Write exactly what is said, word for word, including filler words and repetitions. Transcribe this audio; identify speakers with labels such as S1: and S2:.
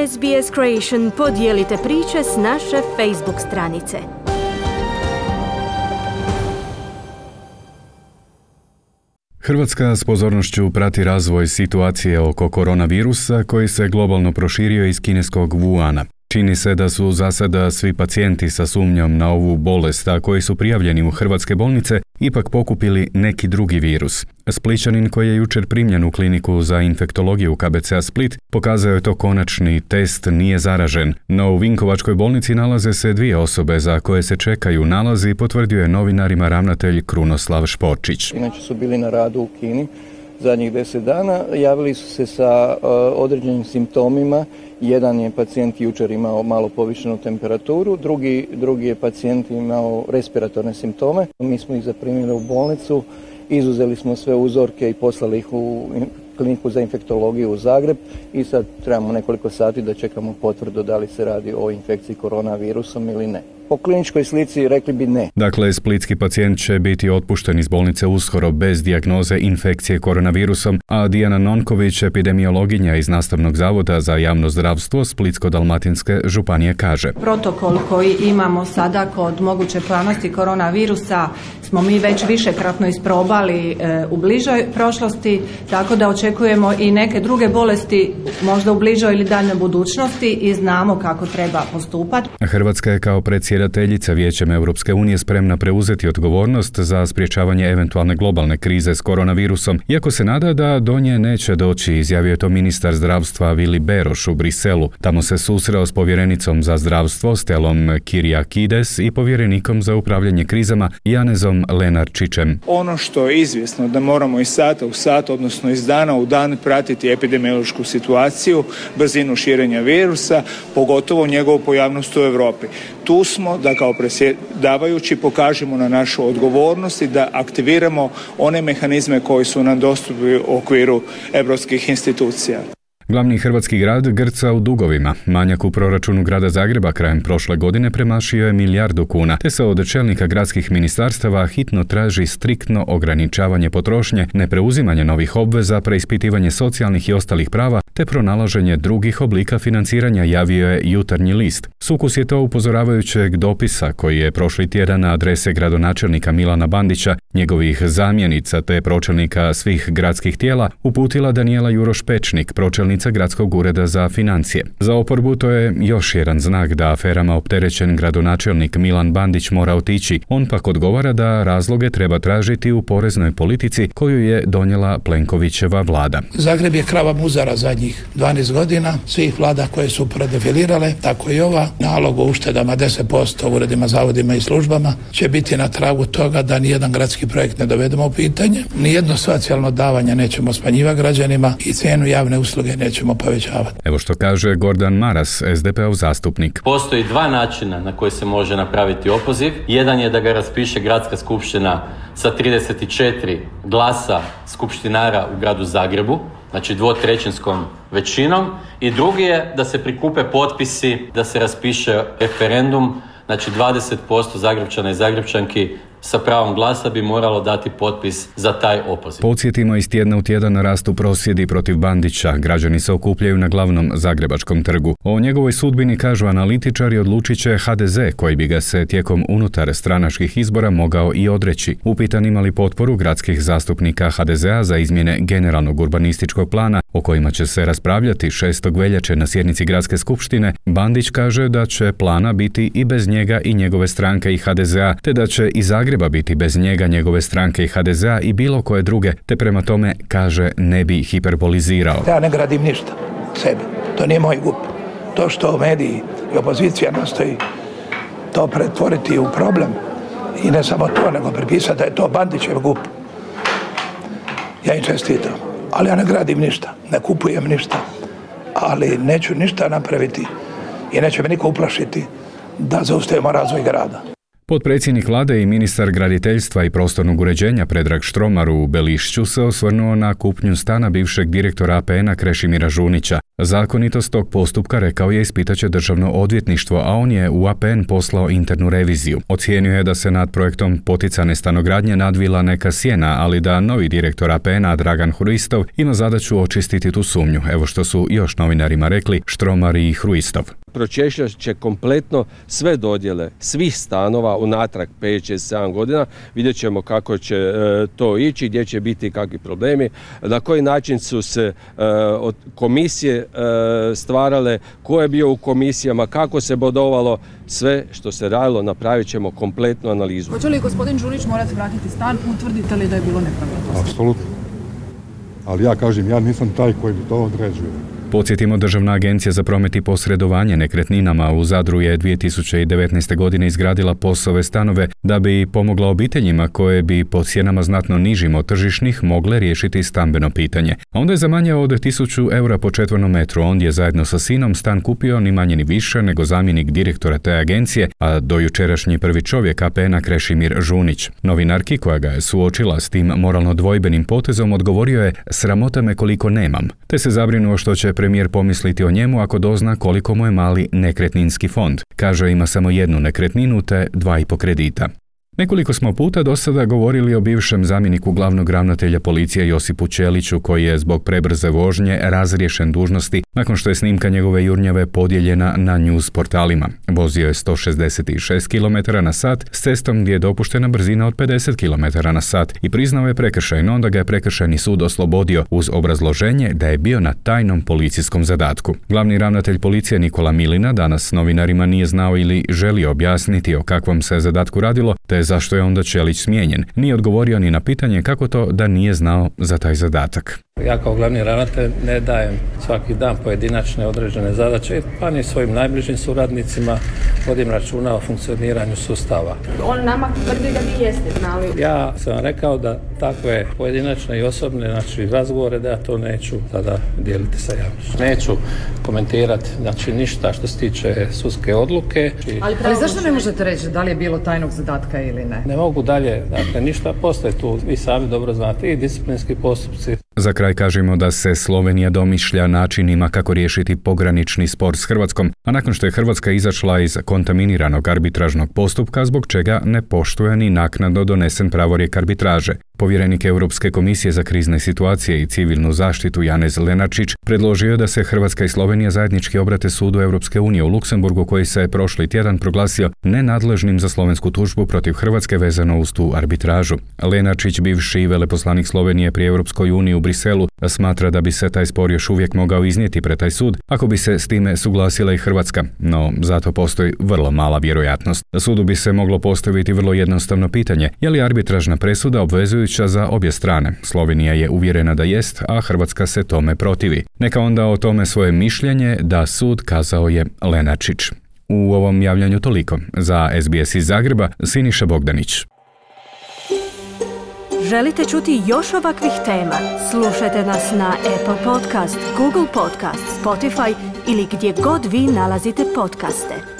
S1: S B S Creation podijelite priče s naše Facebook stranice.
S2: Hrvatska s pozornošću prati razvoj situacije oko koronavirusa koji se globalno proširio iz kineskog Wuhana. Čini se da su za sada svi pacijenti sa sumnjom na ovu bolest, a koji su prijavljeni u hrvatske bolnice, ipak pokupili neki drugi virus. Splićanin koji je jučer primljen u kliniku za infektologiju u K B C A Split pokazao je to konačni test nije zaražen, no u Vinkovačkoj bolnici nalaze se dvije osobe za koje se čekaju nalazi, potvrdio je novinarima ravnatelj Krunoslav Šporčić.
S3: Inače su bili na radu u Kini zadnjih deset dana, javili su se sa uh, određenim simptomima. Jedan je pacijent jučer imao malo povišenu temperaturu, drugi, drugi je pacijent imao respiratorne simptome. Mi smo ih zaprimili u bolnicu, izuzeli smo sve uzorke i poslali ih u kliniku za infektologiju u Zagreb i sad trebamo nekoliko sati da čekamo potvrdu da li se radi o infekciji koronavirusom ili ne. Po kliničkoj slici rekli bi ne.
S2: Dakle, splitski pacijent će biti otpušten iz bolnice uskoro bez dijagnoze infekcije koronavirusom, a Dijana Nonković, epidemiologinja iz Nastavnog zavoda za javno zdravstvo Splitsko-dalmatinske županije, kaže:
S4: Protokol koji imamo sada kod moguće pojavnosti koronavirusa smo mi već višekratno isprobali e, u bližoj prošlosti, tako da očekujemo i neke druge bolesti možda u bližoj ili daljnjoj budućnosti i znamo kako treba postupati.
S2: Hrvatska je kao predsjedateljica Vijećem Europske unije spremna preuzeti odgovornost za sprječavanje eventualne globalne krize s koronavirusom, iako se nada da do nje neće doći, izjavio je to ministar zdravstva Vili Beroš u Briselu. Tamo se susreo s povjerenicom za zdravstvo Stelom Kyriakides i povjerenikom za upravljanje krizama Janezom Lenarčićem.
S5: Ono što je izvjesno da moramo iz sata u sat, odnosno iz dana u dan pratiti epidemiološku situaciju, brzinu širenja virusa, pogotovo njegovu pojavnost u Europi. Tu smo da kao predsjedavajući pokažemo na našu odgovornost i da aktiviramo one mehanizme koji su nam dostupni u okviru europskih institucija.
S2: Glavni hrvatski grad grca u dugovima. Manjak u proračunu grada Zagreba krajem prošle godine premašio je milijardu kuna, te se od čelnika gradskih ministarstava hitno traži striktno ograničavanje potrošnje, nepreuzimanje novih obveza, preispitivanje socijalnih i ostalih prava, te pronalaženje drugih oblika financiranja, javio je Jutarnji list. Sukus je to upozoravajućeg dopisa koji je prošli tjedan na adrese gradonačelnika Milana Bandića, njegovih zamjenica te pročelnika svih gradskih tijela uputila Danijela Juroš-Pečnik, pročelnica Gradskog ureda za financije. Za oporbu to je još jedan znak da aferama opterećen gradonačelnik Milan Bandić mora otići. On pak odgovara da razloge treba tražiti u poreznoj politici koju je donijela Plenkovićeva vlada.
S6: Zagreb je krava muzara zadnjih dvanaest godina, svih vlada koje su predefilirale, tako i ova. Nalog o uštedama deset posto u uredima, zavodima i službama će biti na tragu toga da nijedan gradski projekt ne dovedemo u pitanje, nijedno socijalno davanje nećemo smanjivati građanima i cijenu javne usluge nećemo povećavati.
S2: Evo što kaže Gordan Maras, S D P-ov zastupnik.
S7: Postoji dva načina na koji se može napraviti opoziv. Jedan je da ga raspiše gradska skupština sa trideset četiri glasa skupštinara u gradu Zagrebu, znači dvotrećinskom većinom, i drugi je da se prikupe potpisi, da se raspiše referendum, znači dvadeset posto Zagrepčana i Zagrepčanki sa pravom glasa bi moralo dati potpis za taj opoziv.
S2: Podsjetimo, iz tjedna u tjedan rastu prosvjedi protiv Bandića. Građani se okupljaju na glavnom zagrebačkom trgu. O njegovoj sudbini, kažu analitičari, odlučit će H D Z, koji bi ga se tijekom unutar stranačkih izbora mogao i odreći. Upitan imali potporu gradskih zastupnika H D Z A za izmjene generalnog urbanističkog plana, o kojima će se raspravljati šestog veljače na sjednici gradske skupštine, Bandić kaže da će plana biti i bez njega i njegove stranke i H D Z A, te da će i Zagreba biti bez njega, njegove stranke i H D Z A i bilo koje druge, te prema tome, kaže, ne bi hiperbolizirao.
S6: Ja ne gradim ništa sebi, to nije moj gup. To što mediji i opozicija nastoji to pretvoriti u problem i ne samo to, nego pripisati da je to Bandićev gup. Ja im čestitam, ali ja ne gradim ništa, ne kupujem ništa, ali neću ništa napraviti i neće me niko uplašiti da zaustavimo razvoj grada.
S2: Potpredsjednik vlade i ministar graditeljstva i prostornog uređenja Predrag Štromar u Belišću se osvrnuo na kupnju stana bivšeg direktora A P N-a Krešimira Žunića. Zakonitost tog postupka, rekao je, ispitaće državno odvjetništvo, a on je u A P N poslao internu reviziju. Ocijenio je da se nad projektom poticane stanogradnje nadvila neka sjena, ali da novi direktor A P N-a Dragan Hruistov ima zadaću očistiti tu sumnju. Evo što su još novinarima rekli Štromar i Hruistov.
S8: Pročešljat će kompletno sve dodjele svih stanova unatrag pet, šest, sedam godina. Vidjet ćemo kako će e, to ići, gdje će biti kakvi problemi, na koji način su se e, od komisije e, stvarale, ko je bio u komisijama, kako se bodovalo, sve što se radilo napravit ćemo kompletnu analizu.
S9: Hoće li gospodin Đurić morati vratiti stan, utvrdite li da je bilo nepravilnosti?
S10: Apsolutno. Ali ja kažem, ja nisam taj koji bi to određuje.
S2: Podsjetimo, Državna agencija za promet i posredovanje nekretninama u Zadru je dvije tisuće devetnaeste. godine izgradila POS-ove stanove da bi pomogla obiteljima koje bi po cijenama znatno nižim od tržišnih mogle riješiti stambeno pitanje. A onda je za manje od tisuću eura po četvornom metru ondje zajedno sa sinom stan kupio ni manje ni više nego zamjenik direktora te agencije, a dojučerašnji prvi čovjek A P N-a Krešimir Žunić. Novinarki koja ga je suočila s tim moralno dvojbenim potezom odgovorio je: "Sramota me koliko nemam", te se zabrinuo što će premijer pomisliti o njemu ako dozna koliko mu je mali nekretninski fond. Kaže, ima samo jednu nekretninu te dva i po kredita. Nekoliko smo puta do sada govorili o bivšem zamjeniku glavnog ravnatelja policije Josipu Ćeliću, koji je zbog prebrze vožnje razriješen dužnosti nakon što je snimka njegove jurnjave podijeljena na news portalima. Vozio je sto šezdeset šest kilometara na sat s cestom gdje je dopuštena brzina od pedeset kilometara na sat i priznao je prekršaj, no onda ga je prekršajni sud oslobodio uz obrazloženje da je bio na tajnom policijskom zadatku. Glavni ravnatelj policije Nikola Milina danas novinarima nije znao ili želio objasniti o kakvom se zadatku radilo, te zašto je onda Ćelić smijenjen. Nije odgovorio ni na pitanje kako to da nije znao za taj zadatak.
S11: Ja kao glavni ravnatelj ne dajem svaki dan pojedinačne određene zadaće, pa ni svojim najbližim suradnicima vodim računa o funkcioniranju sustava.
S12: On nama tvrdi da vi jeste znali.
S11: Ja sam rekao da takve pojedinačne i osobne, znači razgovore, da ja to neću tada dijeliti sa javnošću. Neću komentirati, znači ništa što se tiče sudske odluke.
S9: Ali, Ali zašto ne možete reći da li je bilo tajnog zadatka ili ne?
S11: Ne mogu dalje, dakle ništa, postoje tu, vi sami dobro znate, i disciplinski postupci.
S2: Za kraj kažemo da se Slovenija domišlja načinima kako riješiti pogranični spor s Hrvatskom, a nakon što je Hrvatska izašla iz kontaminiranog arbitražnog postupka, zbog čega ne poštuje ni naknadno donesen pravorijek arbitraže. Povjerenik Europske komisije za krizne situacije i civilnu zaštitu Janez Lenarčić predložio je da se Hrvatska i Slovenija zajednički obrate sudu Europske unije u Luksemburgu, koji se je prošli tjedan proglasio nenadležnim za slovensku tužbu protiv Hrvatske vezano uz tu arbitražu. Lenarčić, bivši veleposlanik Slovenije pri Europskoj uniji u Briselu, smatra da bi se taj spor još uvijek mogao iznijeti pred taj sud ako bi se s time suglasila i Hrvatska, no zato postoji vrlo mala vjerojatnost. Sudu bi se moglo postaviti vrlo jednostavno pitanje: je li arbitražna presuda obvezujuća za obje strane? Slovenija je uvjerena da jest, a Hrvatska se tome protivi. Neka onda o tome svoje mišljenje da sud, kazao je Lenarčić. U ovom javljanju toliko. Za S B S iz Zagreba, Siniša Bogdanić.
S1: Želite čuti još ovakvih tema? Slušajte nas na Apple Podcast, Google Podcast, Spotify ili gdje god vi nalazite podcaste.